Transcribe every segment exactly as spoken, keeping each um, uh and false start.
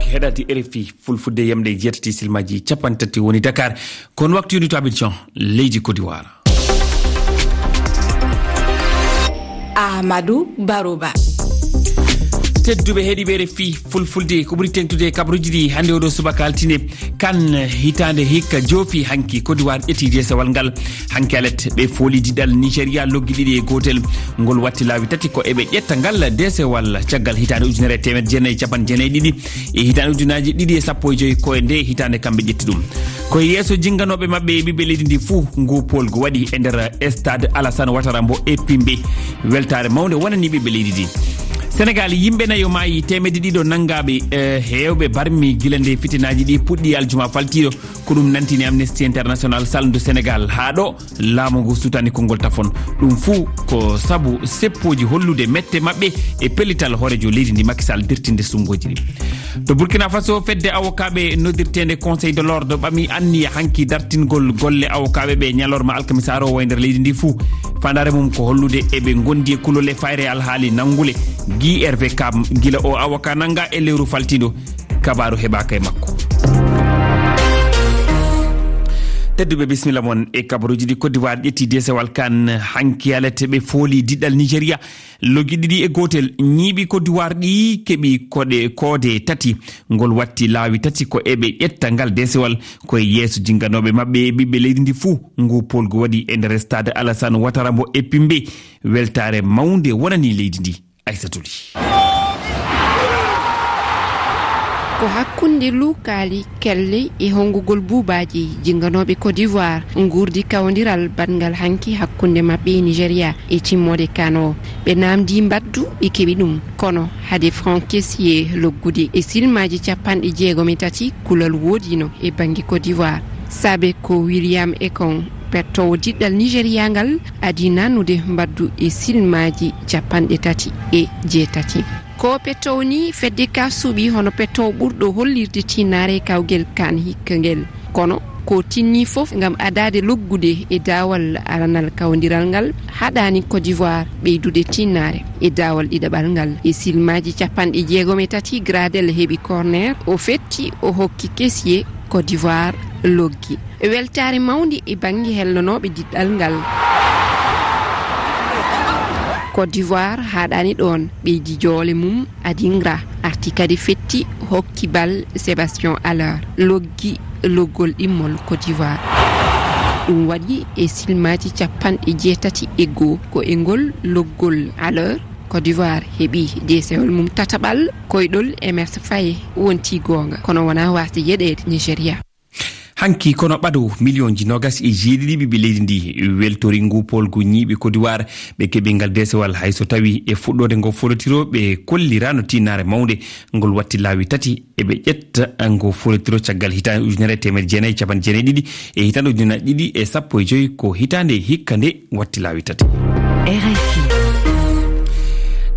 Heɗaade R F I Fulfulde, yamde e jeetati silmaaji capanɗe tati woni Dakar. Kono waktu yoni to Abidjan, leydi Côte d'Ivoire. Amadou Baroba. Tedduɓe heɗiiɓe R F I Fulfulde, ko ɓuri teeŋtude e kabaruuji ɗi hannde oɗo subaka altine. Kan hitaande hikka joofi hanki, Côte d'Ivoire ƴetti deesewal ngal. Hanki alet ɓe fooli diɗal Nigeria loggi ɗiɗi e gootel. Ngol watti laawi tati ko eɓe ƴetta ngal deesewal caggal hitaande ujunere e teemedde jeenayi e capanɗe jeenayi e ɗiɗi e hitaande ujunaaji ɗiɗi e sappo e joy, ko e nde hitaande kamɓe ƴetti ɗum. Ko e yeeso jinnganooɓe maɓɓe e ɓiɓɓe leydi ndi fuu ngu poolgu waɗi e nder stade Alassane Ouattara mbo e Pimbe. Weltaare mawnde wonani ɓiɓɓe leydi ndi. Senegal, yimɓe nayo maayi, teemedde ɗiɗo nanngaaɓe, eh, heewɓe barmi gila nde fitinaaji ɗi puɗɗi aljuma faltiiɗo. Ko ɗum nantini Amnesty International salndu Senegal. Haa ɗo laamu ngu sutani konngol tafon. Ɗum fuu ko sabu seppooji hollude mette maɓɓe e pellital hooreejo leydi ndi Macky Sall dirtinde suɓngooji ɗi. To Burkina Faso, fedde awokaaɓe noddirteende Conseil de l'Ordre ɓami anniya hanki dartingol golle awokaaɓe ɓe ñalorma alkamisa aroowo e nder leydi ndi fuu. Faandaare mum ko hollude eɓe ngondi e kulol e fayre alhaali nanngule. Guy Hervé Kam, gila o awoka nannga e lewru faltiiɗo, kabaaru heɓaaka e makko. Tedduɓe, bisimilla mon e kabaruuji ɗi. Côte d'Ivoire ƴetti deesewal kan hanki alet ɓe fooli diɗɗal Nigeria. Loggi ɗiɗi e gootel, ñiiɓi Côte d'Ivoire ɗi keɓi koɗe koode tati. Ngol watti laawi tati ko eɓe ƴetta ngal deesewal ko e yeeso jinnganooɓe maɓɓe e ɓiɓɓe leydi ndi fuu. Ngu poolgu waɗi e nder stade Alassane Ouattara mbo e Pimbe. Weltaare mawnde wonani leydi ndi. Aissatouli. Ko hakkunde luukaali kelle e honngugol buubaaji, jinnganooɓe Côte d'Ivoire nguurdi kawondiral baɗngal hanki hakkunde maɓɓe e Nigeria e timmoode kan o. Ɓe naamndi mbaddu, ɓe keɓi ɗum. Kono hade Franck Kessié loggude e silmaaji capanɗe jeegom e tati, kulol woodino e bannge Côte d'Ivoire. Saabe ko William Ekong, pettoowo diɗɗal Nigeria ngal, adii naannude mbaddu e silmaaji capanɗe tati e jeetati. Ko pettoowo ni fedde ka suuɓi hono pettoowo ɓurɗo hollirde tinnaare e kawgel kan hikka ngel. Kono ko tinni fof ngam adaade loggude e daawal aranal kawndiral ngal, haɗaani Côte d'Ivoire ɓeydude tinnaare e daawal ɗiɗaɓal ngal. E silmaaji capanɗe jeegom e tati, Gradel heɓi corner, o fetti, o hokki Kessié, Côte d'Ivoire loggi. Weltaare mawnde e bannge hellonooɓe diɗɗal ngal. Côte d'Ivoire haaɗaani ɗoon, ɓeydi joole mum, Adingra arti kadi fetti, hokki bal Sébastien Haller, loggi loggol ɗimmol Côte d'Ivoire. Ɗum waɗi e silmaaji capanɗe jeetati e goo. Ko e ngol loggol Haller, Côte d'Ivoire heɓi deesewal mum tataɓal, koyɗol Emerse Faé wonti goonga, kono wonaa waasde yeɗeede Nigeria. Hanki kono ɓado miliyonji noogas e jeeɗiɗi ɓiɓɓe leydi ndi weltori ngu poolgu ñiiɓe Côte d'Ivoire. Ɓe keɓi ngal deesewal, hay so tawi e fuɗɗoode ngo folotiro ɓe kolliraano tinnaare mawnde. Ngol watti laawi tati eɓe ƴetta ngo folotiro caggal hitaande ujunere e teemedde jeenayi e capanɗe jeenayi e ɗiɗi e hitaande ujunnaji ɗiɗi e sappo e joy, ko hitaande hikka nde watti laawi tati. R F I.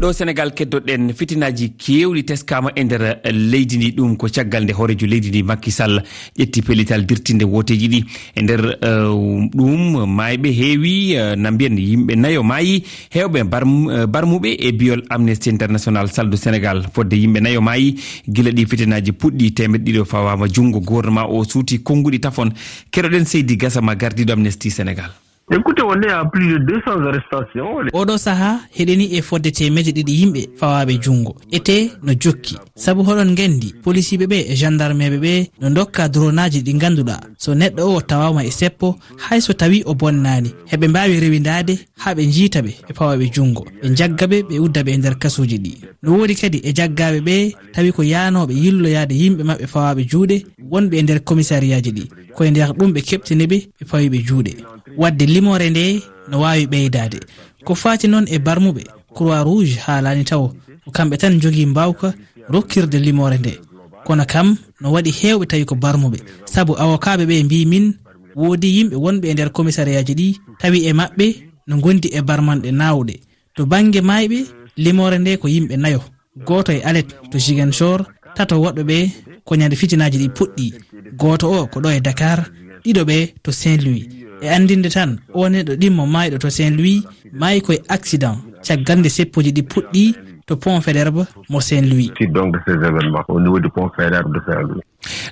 Ɗo Senegal keddoɗen, fitinaaji keewɗi teskaama e nder leydi ndi. Ɗum ko caggal nde hooreejo leydi ndi Macky Sall ƴetti pellital dirtinde wooteeji ɗi. E nder, eh, ɗum maayɓe heewi, eh, na mbiyen yimɓe nayo maayi, heewɓe barm-, eh, barmuɓe e biyol Amnesty International saldu Senegal. Fodde yimɓe nayo maayi gila ɗi fitinaaji puɗɗi, teemeɗɗe ɗiɗo fawaama junngo. Gouvernement o suuti konnguɗi tafon. Keɗoɗen Seydi Gassama, gardiiɗo Amnesty Senegal. Écoutez, on est à plus de deux cents arrestations. Oɗo saha heɗeni e fodde teemeɗɗe ɗiɗi yimɓe fawaaɓe junngo. Ete no jokki. Sabu hoɗon nganndi, polisiiɓe ɓe e gendarmeeɓe ɓe no ndokka dronaaji ɗi ngannduɗaa, so neɗɗo o tawaama e seppo, hay so tawi o bonnaani, heɓe mbaawi rewindaade haa ɓe njiita ɓe, ɓe pawa ɓe junngo. Ɓe njagga ɓe, ɓe udda ɓe e nder kasuuji ɗi. No woodi kadi e jaggaaɓe ɓe tawi ko yaanooɓe yilloyaade yimɓe maɓɓe fawaaɓe juuɗe wonɓe e nder komisariyaaji ɗi. Ko e nder ɗum ɓe keɓtini ɓe, ɓe pawi ɓe juuɗe. Waɗde limoore nde no waawi ɓeydaade. Ko faati noon e barmuɓe, Croix Rouge haalaani tawo ko kamɓe tan njogii mbaawka rokkirde limoore nde. Kono kam no waɗi heewɓe tawi ko barmuɓe, sabu awokaaɓe ɓe mbii min woodi yimɓe wonɓe e nder komisariyaaji ɗi tawi e maɓɓe no ngondi e barmanɗe naawɗe. To bannge maayɓe, limoore nde ko yimɓe nayo. Gooto e Alet to Ziguinchor, tato woɗɓe ɓe ko ñande fitinaaji ɗi puɗɗi. Gooto o ko ɗo e Dakar, ɗiɗo ɓe to Saint-Louis. E anndinde tan, o neɗɗo ɗimmo maayɗo to Saint-Louis maayi ko e accident, caggal nde seppooji ɗi puɗɗi Le pont Faidherbe, mo Saint-Louis. Suite donc de ces événements au niveau du pont Faidherbe de Saint-Louis.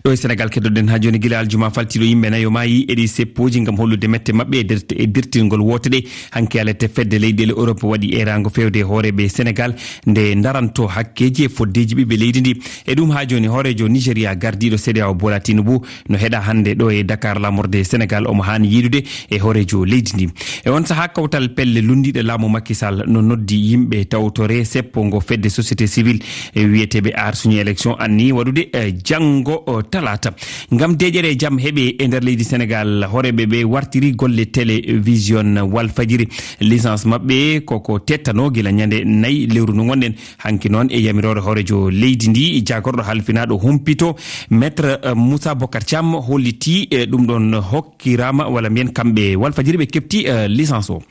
Ɗo e Sénégal, keddoɗen haa jooni, gila aljuma faltiiɗo, yimɓe nayo maayi e ɗi seppooji ngam hollude mette maɓɓe e dert-, e dirtingol woote ɗe. Hanki alete fedde leyɗeele Europe waɗi eeraango feewde e hooreeɓe Sénégal nde ndaranto hakkeeji e foddeeji ɓiɓɓe leydi ndi. E ɗum haa jooni, hooreejo Nigeria gardiiɗo CEDEAO Bola Tinubu no heɗa hannde ɗo e Dakar laamorde Sénégal, omo haani yiidude e hooreejo leydi ndi. E on sahaa, kawtal pelle lunndiiɗe laamu Macky Sall no noddi yimɓe tawtore seppo ngo fedde société civile, e wiyeteeɓe Aar Suñu Élection anni waɗude, eh, janngo, oh, talaata. Ngam deeƴere e jam heɓe e nder leydi Sénégal, hooreeɓe ɓe wartiri golle télévision Walfadjiri. Licence maɓɓe koko tettano gila ñande nayi lewru ndu ngonɗen. Hanki noon, e yamiroore hooreejo leydi ndi, jaagorɗo halfinaaɗo humpito, Maître, eh, Moussa Bocar Thiam holliti, eh, ɗum ɗon hokkiraama, walla mbiyen kamɓe Walfadjiri ɓe keɓti, eh, licence o.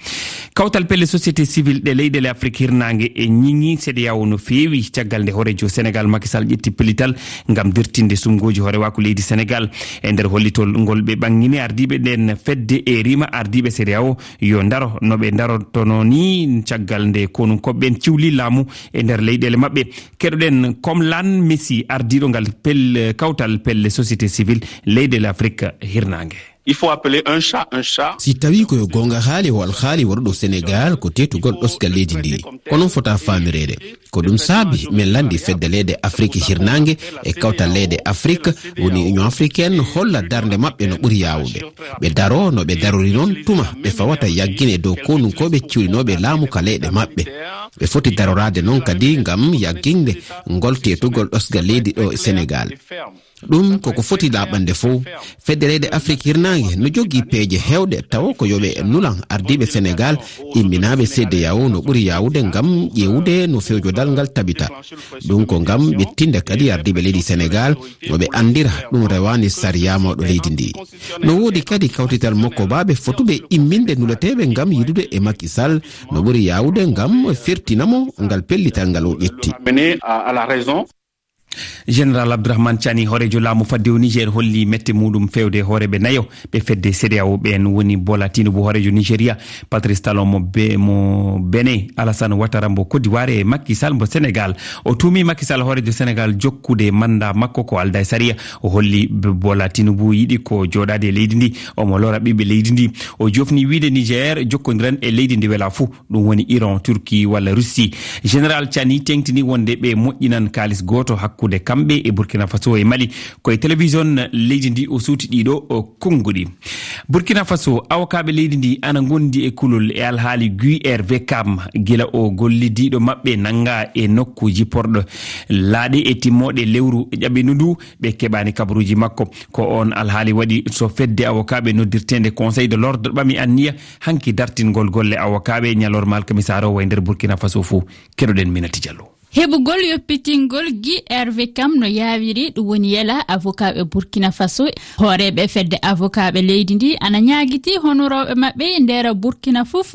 Kawtal pelle société civile ɗe leyɗeele Afrique hirnaange e ñiŋi CEDEAO no feewi caggal nde hooreejo Sénégal Macky Sall ƴetti pellital ngam dirtinde sumngooji hoorewaaku leydi Sénégal. E nder hollitol ngol ɓe ɓangini ardiiɓe nden fedde e rima ardiiɓe CEDEAO yo ndaro no ɓe ndarotono ni caggal nde konunkooɓe ɓen ciwli laamu e nder leyɗeele maɓɓe. Keɗoɗen Komlan Messi, ardiiɗo ngal pel-, kawtal pelle société civile leyɗeele Afrique hirnaange. Il faut appeler un chat un chat. Si tawi ko yo goonga haali, o alhaali waɗuɗo Sénégal ko teetugol ɗosgal leydi ndi. Ko noon fota faamireede. Ko ɗum saabi min lanndi fedde leyɗe Afrique hirnaange e kawtal leyɗe Afrique, woni Union africaine, holla darnde maɓɓe no ɓuri yaawude. Ɓe daro no ɓe darori noon tuma ɓe fawata yaggine dow konunkooɓe ciwlinooɓe laamu ka leyɗe maɓɓe. Ɓe foti daroraade noon kadi ngam yagginde ngol teetugol ɗosgal leydi ɗo e Sénégal. Ɗum koko foti laaɓande fof. Fedde leyɗe Afrique hirnaange no jogii peeje heewɗe, tawa ko yo ɓe nulan ardiiɓe Sénégal, imminaaɓe CEDEAO no ɓuri yaawude ngam ƴeewude no fewjodal ngal tabita. Ɗum ko ngam ƴettinde kadi ardiiɓe leydi Sénégal, yo ɓe anndira ɗum rewaani sariya mawɗo leydi ndi. No woodi kadi kawtital mokko baaɓe fotuɓe imminde nuleteeɓe ngam yiidude e Macky Sall no ɓuri yaawude ngam firtina mo ngal pellital ngal o ƴetti. Mené à, à la raison. Général Abdourahmane Tiani, hooreejo laamu faddewu Niger, holli mette muɗum fewde hooreeɓe nayo ɓe fedde CEDEAO ɓeen, woni Bola Tinubu, hooreejo Nigeria, Patrice Talon mo Be-, mo Benin, Alassane Ouattara mbo Côte d'Ivoire e Macky Sall mbo Sénégal. O tuumi Macky Sall, hooreejo Sénégal, jokkude manda makko ko aldaa e sariya. O holli B-, Bola Tinubu yiɗi ko jooɗaade e leydi ndi, omo lora ɓiɓɓe leydi ndi. O jofni wiide Niger jokkondiran e leydi ndi wela fuu. Ɗum woni Iran, Turki walla Russie. Général Tiani teŋtini wonde ɓe moƴƴinan kaalis gooto hakkunde kamɓe e Burkina Faso e Mali. Ko e télévision leydi ndi o suuti ɗiɗo o konnguɗi. Burkina Faso, awokaaɓe leydi ndi ana ngondi e kulol e alhaali Guy Hervé Kam, gila o gollidiiɗo maɓɓe nannga e nokku jipporɗo laaɗe e timmooɗe lewru ƴaɓɓindu ndu. Ɓe keɓaani kabaruuji makko. Ko oon alhaali waɗi so fedde awokaaɓe noddirteende Conseil de l'Ordre ɓami anniya hanki dartingol golle awokaaɓe ñalorma alkamisa arowo e nder Burkina Faso fuu. Keɗoɗen Minati Diallo. Heɓugol yoppitingol Guy Hervé Kam no yaawiri, ɗum woni yela avokaaɓe Burkina Faso. Hooreeɓe fedde avokaaɓe leydi ndi ana ñaagiti honorooɓe maɓɓe e nder Burkina fof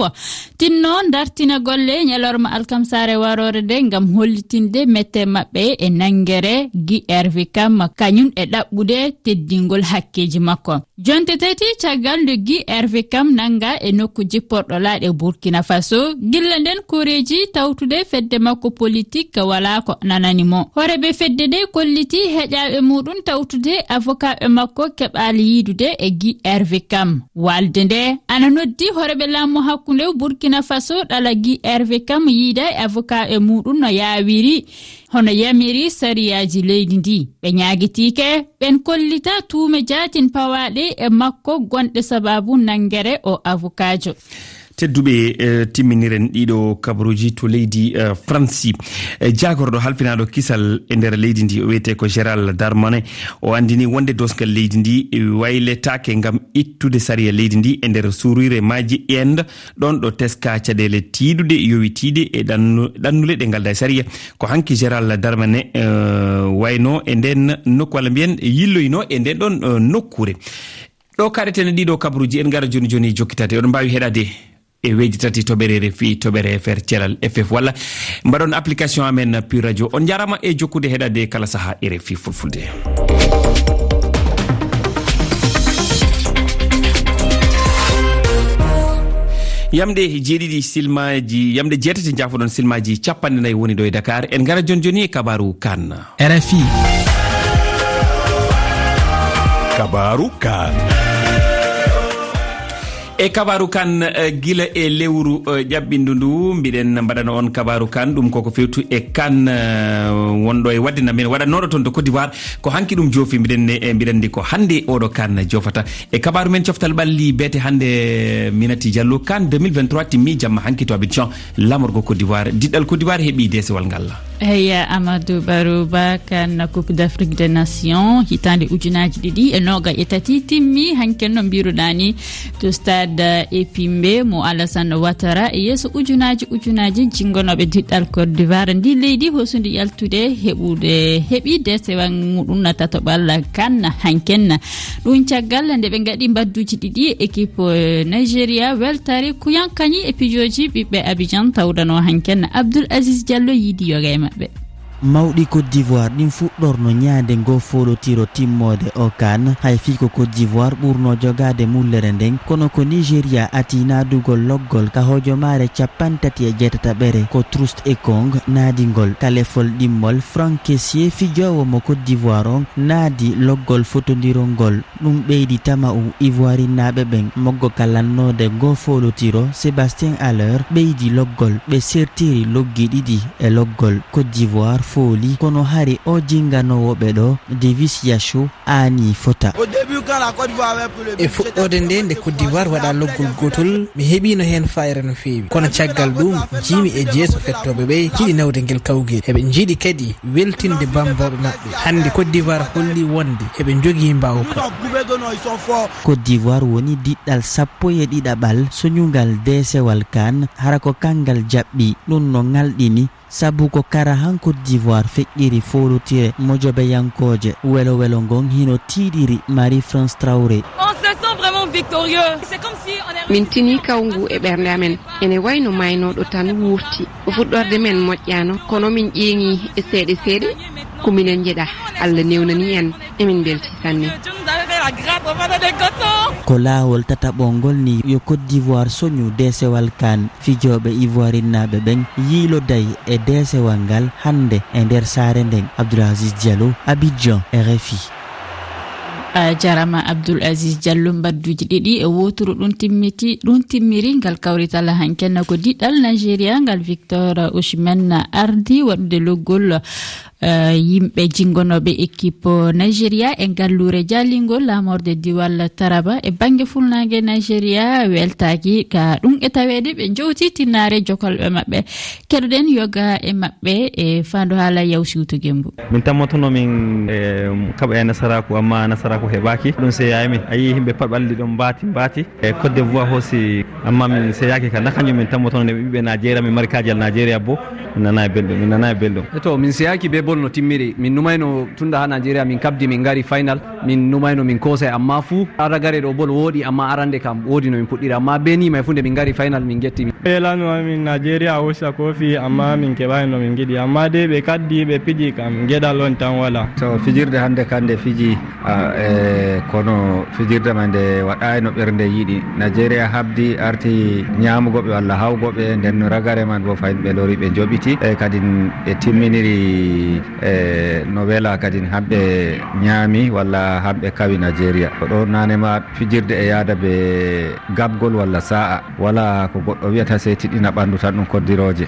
tinno dartina golle ñalorma alkamsaare waroore nde ngam hollitinde mette maɓɓe e nanngere Guy Hervé Kam kañum e ɗaɓɓude teddingol hakkeeji makko. Jonte tati caggal nde Guy Hervé Kam nannga e nokku jipporɗo laaɗe Burkina Faso, gilla nden koreeji tawtude fedde makko politik walaa ko nanani mo. Hooreeɓe fedde nde kolliti heƴaaɓe muɗum tawtude avokaaɓe makko keɓaali yiidude e Guy Hervé Kam. Waalde nde ana noddi hooreeɓe laamu hakkunde Burkina Faso ɗala Guy Hervé Kam yiida e avokaaɓe muɗum no yaawiri, hono yamiri sariyaaji leydi ndi. Ɓe ñaagitiike ɓen kollita tuume jaatin pawaaɗe e makko gonɗe sabaabu nanngere o avokaajo. Tedduɓe, eh, timminiren ɗiɗo kabaruuji to leydi, eh, Fransi. Eh, jaagorɗo halfinaaɗo kisal e nder leydi ndi, o wiyetee ko Gérald Darmanin, o anndini wonde doosgal leydi ndi, eh, wayletaake ngam ittude sariya leydi ndi e nder suurire maaji Inde, ɗon ɗo teska caɗeele tiiɗuɗe yowitiiɗe e ɗannu-, ɗannule ɗe ngaldaa e sariya. Ko hanki Gérald Darmanin, eh, wayno e nden nokku, walla mbiyen yilloyno e nden ɗon, eh, nokkuure. Ɗo kaɗeten e ɗiɗo kabaruuji, en ngara jooni jooni jokkitaade. Oɗon mbaawi heɗaade e weeji tati toɓɓere R F I, toɓɓere F R, Celal F F, walla mbaɗon application amen Pure Radio. On njaaraama e jokkude heɗaade kala sahaa R F I Fulfulde. Yamɗe jeeɗiɗi silmaaji, yamɗe jeetati njaafoɗon silmaaji capanɗe nayi woni ɗo e Dakar. En ngara jooni jooni e kabaaru CAN. R F I. Kabaaru CAN. E kabaaru CAN, eh, gila e lewru, eh, ƴaɓɓindu ndu, mbiɗen mbaɗana on kabaaru CAN, ɗum koko fewtu e CAN, eh, wonɗo e waɗde na men waɗannoɗo toon to Côte d'Ivoire. Ko hanki ɗum joofi, mbiɗen ne, eh, mbiɗen ndi ko hannde oɗo CAN joofata. E kabaaru men coftal ɓalli beete hannde, Minati Diallo, CAN deux mille vingt-trois timmi jamma hanki to Abidjan, laamorgo Côte d'Ivoire. Diɗɗal Côte d'Ivoire heɓi deesewal ngal. Eya, Amadou Barouba, CAN Coupe d'Afrique des Nations, hitaande ujunaaji ɗiɗi e nooga e tati timmi, hanken no mbiruɗaa ni, to stade Epimbe mo Alassane Ouattara, e yeeso ujunaaji ujunaaji jingonooɓe diɗɗal Côte d'Ivoire. Ndi leydi hosundi yaltude heɓude, heɓi deesewal muɗum na tatoɓal CAN hanken. Ɗum caggal nde ɓe ngaɗi mbadduji ɗiɗi e équipe, eh, Nigeria, weltare kuyankañi e pijoji ɓiɓɓe Abidjan tawdano hanken. Abdoul Aziz Diallo yiidi yoga e maɓɓe. Mawɗi Côte d'Ivoire ɗin fuɗɗorno ñaande ngo foolotiro timmoode o CAN, hay fii ko Côte d'Ivoire ɓurno jogaade mullere nden, kono ko Nigeria ati naadugol loggol ka hojomaare capanɗe tati e jeetataɓere ko Trust Ekong naadingol ka lefol ɗimmol. Franck Kessié, fijoowo mo Côte d'Ivoire on, naadi loggol fotondirol ngol. Ɗum ɓeydi tama'u Ivoirinnaaɓe ɓen moggo ka lannoode ngoo foolotiro. Sébastien Haller ɓeydi loggol, ɓe sertiri loggi ɗiɗi e loggol. Côte d'Ivoire fooli, kono hari o jinganoowo ɓe ɗo, Davis Yachou, aanii fota. E fuɗɗoode nde, nde Côte d'Ivoire waɗa loggol gootol, mi heɓiino heen faayre no feewi. Kono caggal ɗum, jiimi e jeeso fettooɓe ɓe, jiɗi nawde ngel kawgel. Eɓe njiɗi kadi weltinde bammbooɓe maɓɓe. Hannde Côte d'Ivoire holli wonde eɓe njogii mbaawka. Côte d'Ivoire woni diɗɗal sappo e ɗiɗaɓal soñungal deesewal CAN, hara ko kanngal jaɓɓi. Ɗum no ŋalɗini, sabu ko kara han Côte d'Ivoire feƴƴiri foolotire mojobeyankooje. Welo welo ngon hino tiiɗiri Marie-France Traoré. On se sent vraiment victorieux. C'est comme si on est Min tinii kawngu e ɓernde amen. Ene wayno maaynooɗo tan wuurti. Ko fuɗɗorde men moƴƴaano, kono min ƴeeŋi e seeɗe seeɗe. Ko minen njeɗa. Allah newnanii en. Emin mbeltii sanne. Ko laawol tataɓol ngol ni yo Côte d'Ivoire soñu deesewal CAN. Fijooɓe ivoirinnaaɓe ɓen yiiloday e deesewal ngal hannde e nder saare nden. Abdoul Aziz Diallo, Abidjan, R F I. A jarama Abdoul Aziz Diallo, mbadduji ɗiɗi e woturu ɗum timmiti, ɗum timmiri ngal kawrital hanken ko diɗɗal Nigeria ngal Victor Osimhen ardi waɗude loggol, eh, yimɓe jingonooɓe équipe Nigeria e ngalluure jaalingol laamorde diwal Taraba e bannge fulnaange Nigeria weltaaki ka ɗum e taweede ɓe jowti tinnaare jokalɓe maɓɓe. Keɗoɗen yoga e maɓɓe e faandu haala Yaw Siwto Gembu. Min tammotono min, eh, kaɓa e nasaraaku, amma nasaraaku heɓaaki. Ɗum seyaay min. A yii yimɓe pat ɓalli ɗon mbaati, mbaati. E Côte d'Ivoire hoosi, amma min seyaaki ka. Na kanjum min tammotono nde ɓiɓɓe Nigeria, min mari kaajal Nigeria bo. Min nanaay belɗum, min nanaay belɗum. E to, min seyaaki be bol no timmiri. Min numayno tunda ha Nigeria, min kabdi, min ngari final. Min numayno, min koosay, amma fuu ragare ɗo bol wooɗi, amma arande kam woodi no min puɗɗiri. Amma be ni may fuu nde min ngari final, min getti. Yelano amin Nigeria hoosa kofi, amma min keɓaay no min ngiɗi. Amma de ɓe kaddi, ɓe piji kam, geɗal on tan wala. To fijirde hannde kande fiji, a, e, kono fijirde man nde waɗaay no ɓernde yiɗi. Nigeria habdi, arti ñaamugo ɓe walla hawgo ɓe, nden no ragare man bo fayin ɓe lori ɓe njoɓiti. E, kadin ɓe timminiri, e, no wela kadin hamɓe ñaami walla hamɓe kawi Nigeria. Ko ɗo nane ma fijirde e yaada be gabgol walla sa'a. Wala ko goɗɗo wi'ata sey tiɗɗina ɓandu tan ɗum koddirooje.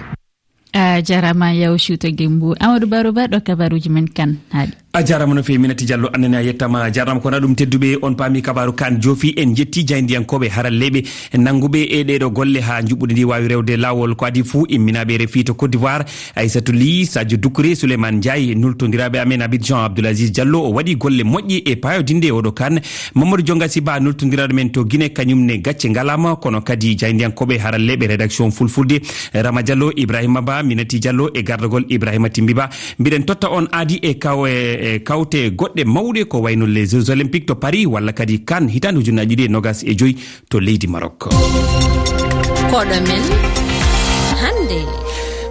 A jarama Yaw Siwto Gembu. Amadou Baro Ba ɗo kabaruji men kan haaɗi. A jarama no fewi Minati Diallo, annene a yettama, jarama ko na ɗum tedduɓe on paami kabaru kan joofi en jetti jayndiyankoɓe haralleɓe nannguɓe e ɗeɗo golle ha juɓɓude ndi wawi rewde lawol ko adi fuu imminaɓe R F I to Côte d'Ivoire, Aissatou Ly, Sadio Doucouré, Souleymane Ndiaye, nultodiraɓe amen Abidjan Abdoul Aziz Diallo o waɗi golle moƴƴe e payodinde oɗo kan. Mamadou Dionga Siba nultodiraɗo men to Guinée kañum ne gacce ngalama kono kadi jayndiyankoɓe haralleɓe rédaction fulfulde Rama Diallo, Ibrahima Ba, Minati Diallo e gardagol Ibrahima Timbi Ba. Mbiɗen totta on aadi e kaw-, e, e kawte goɗɗe mawɗe ko wayno les Jeux Olympiques to Paris walla kadi kan hitaande ujunnaji ɗiɗi e nogas e joyi to leydi Maroc. Koɗo men hannde.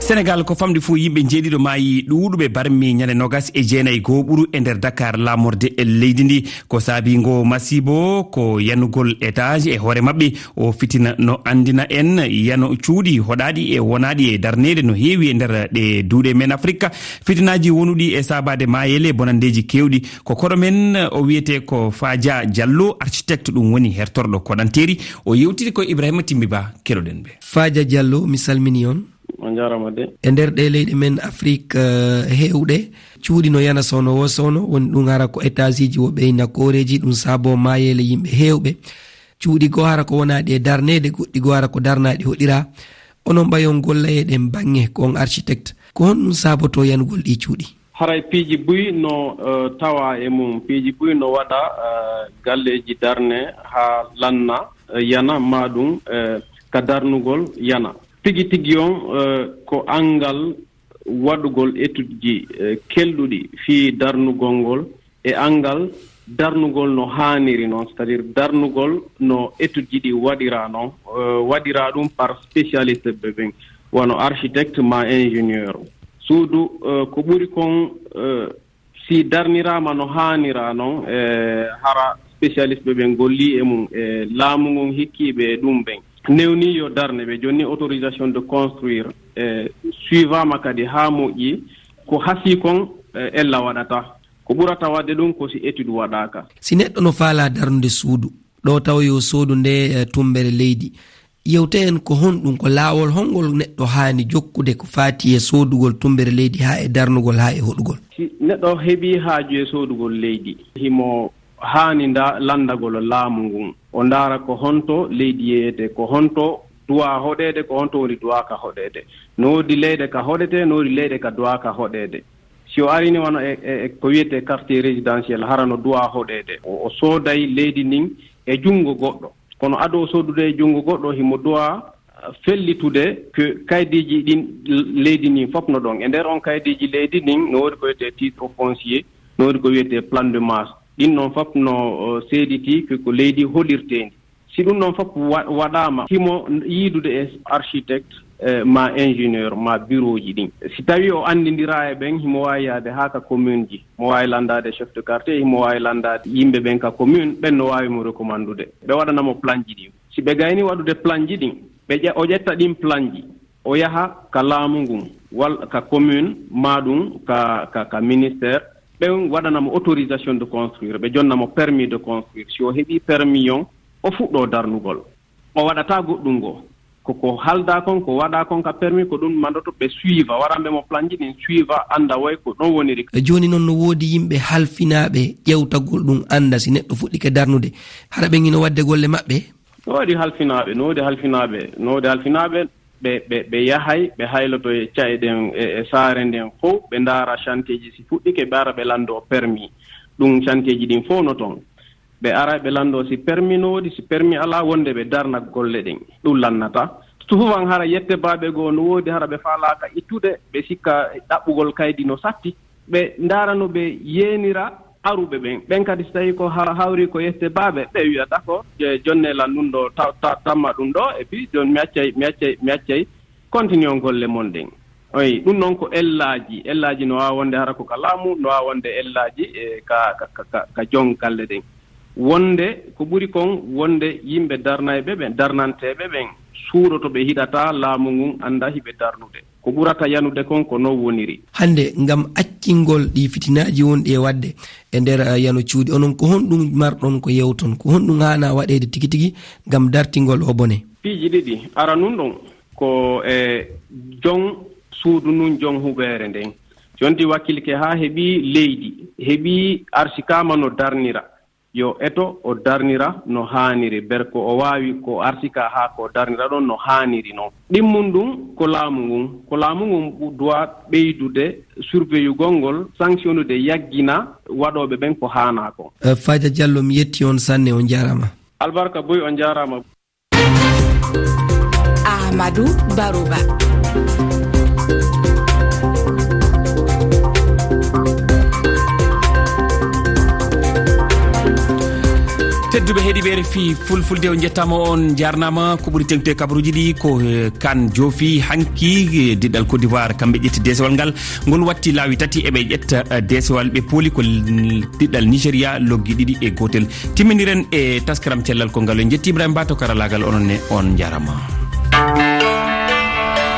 Senegal, ko famɗi fof, yimɓe njeeɗiɗo maayi, ɗuuɗuɓe barmi ñande noogas e jeenayi gooɓuru e nder Dakar, laamorde e leydi ndi. Ko saabi ngo masiibo ko yanugol étage e hoore maɓɓe. O fitina no anndina en yano cuuɗi hoɗaaɗi e wonaaɗi e darneede no heewi e nder ɗe duuɗe men Afrika. Fitinaaji wonuɗi e saabaade maayeele, bonanndeeji keewɗi. Ko koɗo men, o wiyetee ko Faaja Jallo, architecte, ɗum woni hertorɗo koɗanteeri. O yewtiri ko Ibrahima Timbi Ba, keɗoɗen ɓe. Faaja Jallo, mi salmini on. On njaaraama de. E nder ɗe leyɗe men Afrik, eh, heewɗe, cuuɗi no yana soono wo soono, woni ɗum hara ko étageji wo ɓeyna kooreeji, ɗum saabo maayeele yimɓe heewɓe. Cuuɗi goo hara ko wonaaɗi e darneede, goɗɗi goo hara ko darnaaɗi hoɗira. Onon ɓayon golla e ɗen baŋŋe, ko on architecte. Ko honɗum saabotoo yanugol ɗi cuuɗi? Haray piiji buy no, eh, tawa e mum. Piiji buy no waɗa, eh, galleeji darne haa lanna, eh, yana, maa ɗum, eh, ka darnugol yana. Tigi tigi on, eh, ko anngal waɗugol étudeji, eh, kelɗuɗi fii darnugol ngol e anngal darnugol no haaniri non, c'est-à-dire darnugol no étudeji ɗi waɗira non, eh, waɗira ɗum par spécialiste ɓe ɓen, wano architecte maa ingénieur. Suudu, eh, ko ɓuri kon, eh, si darniraama no haanira non, eh, hara spécialiste ɓe ɓen golli e mum, e laamu ngun hikkiiɓe e ɗum ɓen. Newni yo darne ɓe jonni autorisation de construire, eh, suivaama kadi haa moƴƴi, ko hasii kon, eh, ella waɗata. Ko ɓurata waɗde ɗum ko si étude waɗaaka. Si neɗɗo no faalaa darnude suudu, ɗo tawa yo soodu nde, eh, tummbere leydi, yewte en ko honɗum, ko laawol hongol neɗɗo haani jokkude ko faati e soodugol tummbere leydi haa e darnugol haa e hoɗugol? Si neɗɗo heɓii haaju e soodugol leydi, himo haani nda-, lanndagol laamu ngun. O ndaara ko honto leydi yeeyete, ko honto duwaa hoɗeede, ko honto woni duwaaka hoɗeede. No woodi leyɗe ka hoɗetee, no woodi leyɗe ka duwaaka hoɗeede. Si o arini wano e, e, e ko wiyetee quartier résidentiel, hara no duwaa hoɗeede. O, o sooday leydi ndin e junngo goɗɗo. Kono ado o soodude e junngo goɗɗo, himo duwaa, ah, fellitude ko kaydiiji ɗin leydi ndin fof no ɗon. E nder on kaydiiji leydi ndin, no woodi ko wiyetee titre foncier, no woodi ko wiyetee plan de masse. Ɗin non fof no, o, seeditii ko, ko leydi holirteendi. Si ɗum ɗon fof wa-, waɗaama, himo yiidude e architecte, eh, ma ingénieur, ma bureau ji ɗin. Si tawi o anndindiraa e ɓen, himo waawi yaade haa ka commune ji, mo waawi lanndaade chef de quartier, himo waawi lanndaade yimɓe ɓen ka commune, ɓen no waawi mo recommandude. Ɓe waɗana mo plan ji ɗin. Si ɓe gayni waɗude plan ji ɗin, ɓe ƴe-, o ƴetta ɗin plan ji, o yaha ka laamu ngun, walla ka commune, maa ɗum ka, ka, ka ministère, ɓen waɗana mo autorisation de construire, ɓe jonna mo permis de construire. Si o heɓii permis on, o fuɗɗoo darnugol. O waɗataa goɗɗum goo. Ko, ko haaldaa kon, ko waɗaa kon ka permis, ko ɗum mandoto ɓe suiva, waɗanɓe mo plan ji ɗin suiva, annda woy ko ɗon woniri. E jooni non no woodi yimɓe halfinaaɓe ƴewtagol ɗum, annda si neɗɗo fuɗɗike darnude, hara ɓen ino waɗde golle maɓɓe? No woodi halfinaaɓe, no woodi halfinaaɓe, no woodi halfinaaɓe, ɓe, ɓe, ɓe yahay, ɓe hayloto e ca'e ɗen, e, e saare nden fow, ɓe ndaara chantier ji si fuɗɗike, ɓe ara ɓe lanndoo permis. Ɗum chantier ji ɗin fow no ton. Ɓe ara ɓe lanndoo si permis no woodi, si permis alaa, wonde ɓe darna golle ɗen. Ɗum lannata. Souvent hara yette baaɓe goo no woodi, hara ɓe faalaaka ittude, ɓe sikka ɗaɓɓugol kaydi no satti. Ɓe ndaara no ɓe yeenira aruɓe ɓen. Ɓen kadi, si tawii ko ha-, hawri ko yette baaɓe, ɓe wiyata ko, je-, jonne lan ɗum ɗo, ta-, ta-, tamma ɗum ɗo, et puis, jon mi accay, mi accay, mi accay, continuon golle mon ɗen. Oyi, ɗum noon ko ellaaji. Ellaaji no waawa wonde hara ko ka laamu, no waawa wonde ellaaji, e, ka, ka, ka, ka, ka jon galle ɗen. Wonde, ko ɓuri kon, wonde yimɓe darnayɓe ɓen, darnanteeɓe ɓen, suuɗoto ɓe hiɗata laamu ngun annda hiɓe darnude. Ko ɓurata yanude kon ko non woniri. Hannde, ngam accingol ɗi fitinaaji wonɗi e waɗde e nder, eh, yano cuuɗi, onon ko honɗum marɗon ko yewton? Ko honɗum haana waɗeede tigi tigi ngam dartingol o bone? Piiji ɗiɗi. Ara nun ɗon ko e jon suudu nun, jon huɓeere nden. Si on ti wakkilike haa heɓi leydi, heɓi arsikaama no darnira, yo eto o darnira no haaniri, ber ko o waawi ko arsika haa ko darnira ɗon no haaniri non. Ɗimmun ɗum ko laamu ngun. Ko laamu ngun duwa ɓeydude surveillugol ngol, sanctionnude, yaggina waɗooɓe ɓen ko haanaa kon. Eh, Faaja Jallo, mi yetti on sanne, on jaaraama. Albarka Boy, on jaaraama. Ahmadu Baruba. Tedduɓe heɗiɓe refi fulfulde, on jettama, on jarnama. Ko ɓuri tengte kabaruji ɗi ko eh, kan joofi hanki eh, diɗɗal Côte d'Ivoire, kamɓe ƴetti desewal ngal. Ngol watti laawi tati, eɓe ƴetta eh, desewal, ɓe pooli ko l- diɗɗal Nigeria loggi ɗiɗi e gotel. Timminiren e taskaram cellal ko ngal. En jetti Ibrahima Ba to karalagal, onon ne on jarama.